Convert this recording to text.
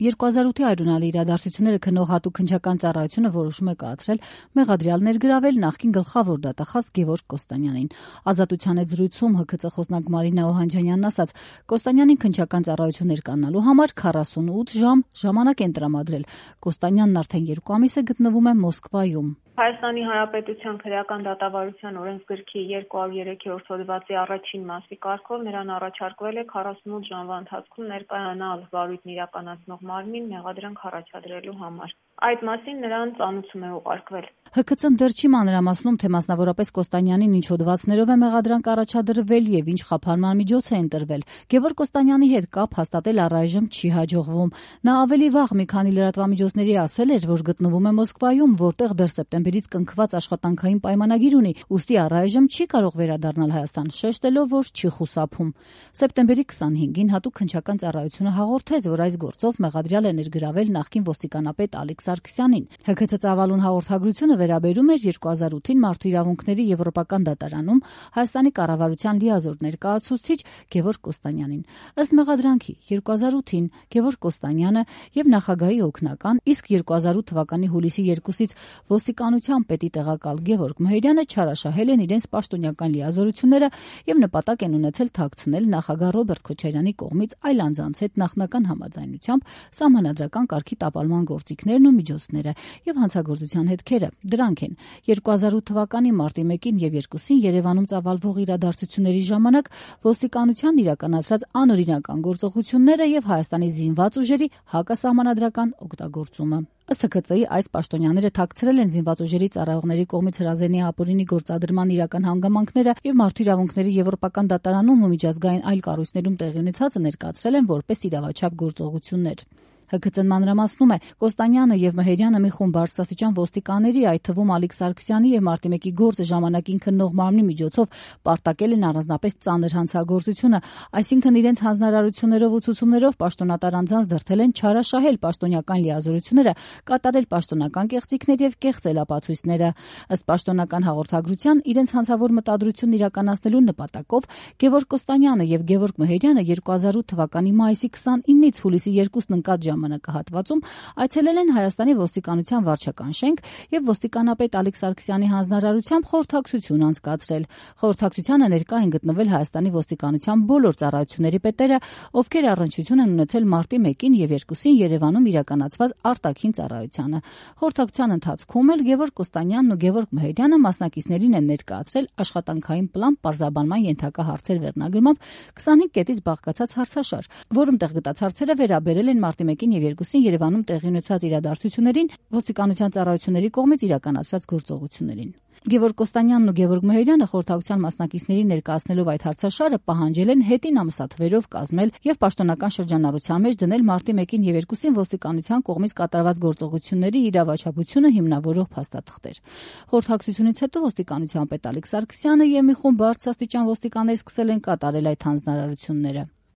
2008-ի այրունալի իրադարձությունները քննող հատուկ քննչական ծառայությունը որոշում է կայացրել մեղադրյալ ներգրավել նախկին գլխավոր դատախազ Գևորգ Կոստանյանին։ Ազատության հետ զրույցում ՀՔԾ խոսնակ Մարինա Օհանջանյանն ասաց, Կոստանյանին քննչական ծառայություն ներկայանալու համար 48 ժամ ժամանակ են տրամադրել։ Կոստանյանն արդեն 2 ամիս է գտնվում է Մոսկվայում։ Հայաստանի Հանրապետության քրեական դատավարության օրենսգրքի 203-րդ հոդվածի առաջին մասի կարգով նրան առաջարկվել է 48 ժամվա ընթացքում ներկայանալ վարույթն իրականացնող մարմին մեղադրանք առաջադրելու համար։ Այդ մասին նրան ծանուցում է ուղարկվել։ ՀՔԾ-ն դեռ չի մանրամասնում, թե մասնավորապես Կոստանյանին ինչ հոդվածներով է մեղադրանք առաջադրվել եւ ինչ խափանման միջոց է ընտրվել։ Գևորգ Կոստանյանի հետ կապ հաստատել առայժմ չի հաջողվում։ Նա ավելի վաղ մի քանի լրատվամիջոցների ասել էր, որ գտնվում է Մոսկվայում, որտեղ դեռ սեպտեմբերից կնքված աշխատանքային պայմանագիր ունի, ուստի առայժմ չի կարող վերադառնալ Հայաստան, շեշտելով, որ չի խուսափում։ Սեպտեմբերի 25-ին հատուկ քննչական ծառայությունը հաղորդեց, որ այս գործով մեղադրյալ է ներգրավել նախկին ոստիկանապետ Ալեքս Սարգսյանին։ ՀՔՑ ծավալուն հաղորդագրությունը վերաբերում էր 2008-ին Մարդու իրավունքների Եվրոպական դատարանում Հայաստանի կառավարության լիազոր ներկայացուցիչ Գևորգ Կոստանյանին։ Ըստ մեղադրանքի 2008-ին Գևորգ Կոստանյանը եւ նախագահի օգնական, իսկ 2008 թվականի հուլիսի 2-ից ոստիկանության պետի տեղակալ Գևորգ Մհերյանը չարաշահել են իրենց պաշտոնյական լիազորությունները եւ նպատակ են ունեցել թաքցնել նախագահ Ռոբերտ Քոչարյանի կողմից այլ անձանց հետ նախնական համաձայնությամբ սահմանադրական կարգի տապալման գործիքներն ու միջոցները եւ հանցագործության հետքերը։ Դրանք են 2008 թվականի մարտի 1-ին եւ 2-ին Երևանում ծավալվող իրադարձությունների ժամանակ ոստիկանության իրականացրած անօրինական գործողությունները եւ Հայաստանի զինված ուժերի հակասահմանադրական օգտագործումը։ Ըստ ՀՔԾ-ի այս պաշտոնյաները թաքցրել են զինված ուժերի ծառայողների կողմից հրազենի ապօրինի գործադրման իրական հանգամանքները եւ Մարդու իրավունքների Եվրոպական դատարանում ու միջազգային այլ կառույցներում տեղի ունեցածը ներկայացրել են որպես իրավաչափ գործողություններ։ ՀՔԾ-ն մանրամասնում է, Կոստանյանը եւ Մհերյանը մի խումբ բարձրաստիճան ոստիկանների, այդ թվում Ալեքս Սարգսյանի եւ Մարտի 1-ի գործը ժամանակին քննող մարմնի միջոցով պարտակել են առանձնապես ծանր հանցագործությունը, այսինքն իրենց հանձնարարություններով ու ցուցումներով պաշտոնատար անձանց դրդել են չարաշահել պաշտոնյական լիազորությունները, կատարել պաշտոնական կեղծիքներ եւ կեղծել ապացույցները։ Ըստ պաշտոնական հաղորդագրության իրենց հանցավոր մտադրությունն իրականացնելու նպատակով Գևորգ Կոստանյանը եւ Գևորգ Մհերյանը 2008 թվականի մայիսի 29-ից հուլիսի 2-ն ընկած ժամանակահատվածում այցելել են Հայաստանի ոստիկանության վարչական շենք եւ ոստիկանապետ Ալեքս Սարգսյանի հանձնարարությամբ խորհրդակցություն անցկացրել։ Խորհրդակցությանը ներկա են գտնվել Հայաստանի ոստիկանության բոլոր ծառայությունների պետերը, ովքեր առնչություն են ունեցել մարտի 1-ին եւ 2-ին Երևանում իրականացված արտաքին ծառայությանը։ Խորհրդակցության ընթացքում էլ Գևորգ Կոստանյանն ու Գևորգ Մհերյանը մասնակիցներին են ներկայացրել աշխատանքային պլան պարզաբանման ենթակա հարցեր վերնագրմամբ 25 կետից բաղկացած հարցաշար, որում տեղ գտած հարցերը վերաբերել են մարտի 1-ին եւ 2-ին Երևանում տեղի ունեցած իրադարձություններին, ոստիկանության ծառայությունների կողմից իրականացված գործողություններին։ Գևորգ Կոստանյանն ու Գևորգ Մհերյանը խորհրդակցության մասնակիցներին ներկայացնելով այդ հարցաշարը պահանջել են հետին ամսաթվերով կազմել եւ պաշտոնական շրջանառության մեջ դնել մարտի 1-ին եւ 2-ին ոստիկանության կողմից կատարված գործողությունների իրավաչափությունը հիմնավորող փաստաթղթեր։ Խորհրդակցությունից հետո ոստիկանության պետ Ալեքս Սարգսյանը եւ մի խումբ բարձրաստիճան ոստիկաններ սկսել են կատարել այդ հանձնարարությունները։